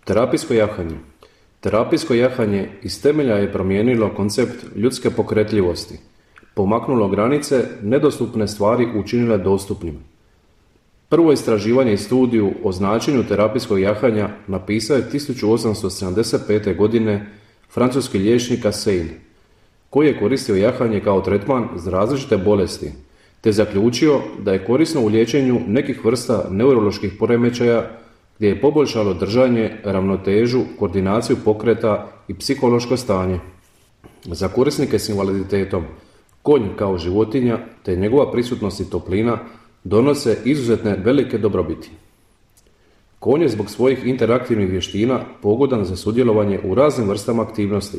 Terapijsko jahanje. Terapijsko jahanje iz temelja je promijenilo koncept ljudske pokretljivosti, pomaknulo granice, nedostupne stvari učinile dostupnim. Prvo istraživanje i studiju o značenju terapijskog jahanja napisao je 1875. godine francuski liječnik Assein, koji je koristio jahanje kao tretman za različite bolesti, te zaključio da je korisno u liječenju nekih vrsta neuroloških poremećaja gdje je poboljšalo držanje, ravnotežu, koordinaciju pokreta i psihološko stanje. Za korisnike s invaliditetom, konj kao životinja te njegova prisutnost i toplina donose izuzetne velike dobrobiti. Konj je zbog svojih interaktivnih vještina pogodan za sudjelovanje u raznim vrstama aktivnosti.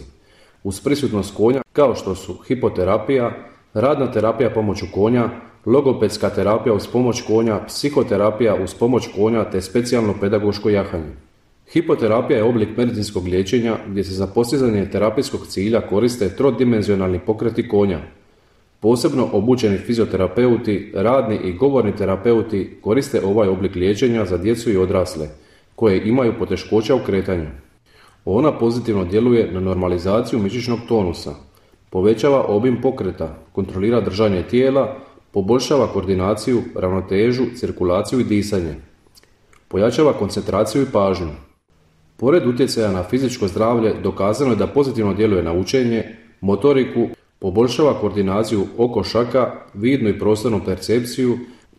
Uz prisutnost konja kao što su hipoterapija, radna terapija pomoću konja, logopedska terapija uz pomoć konja, psihoterapija uz pomoć konja te specijalno pedagoško jahanje. Hipoterapija je oblik medicinskog liječenja gdje se za postizanje terapijskog cilja koriste trodimenzionalni pokreti konja. Posebno obučeni fizioterapeuti, radni i govorni terapeuti koriste ovaj oblik liječenja za djecu i odrasle koje imaju poteškoća u kretanju. Ona pozitivno djeluje na normalizaciju mišićnog tonusa, povećava obim pokreta, kontrolira držanje tijela, poboljšava koordinaciju, ravnotežu, cirkulaciju i disanje. Pojačava koncentraciju i pažnju. Pored utjecaja na fizičko zdravlje dokazano je da pozitivno djeluje na učenje, motoriku, poboljšava koordinaciju oko šaka, vidnu i prostornu percepciju,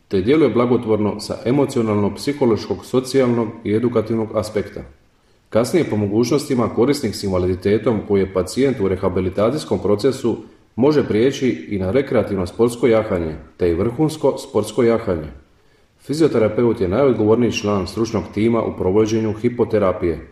te djeluje blagotvorno sa emocionalnog, psihološkog, socijalnog i edukativnog aspekta. Kasnije po mogućnostima korisnik s invaliditetom koji je pacijent u rehabilitacijskom procesu može prijeći i na rekreativno sportsko jahanje, te i vrhunsko sportsko jahanje. Fizioterapeut je najodgovorniji član stručnog tima u provođenju hipoterapije,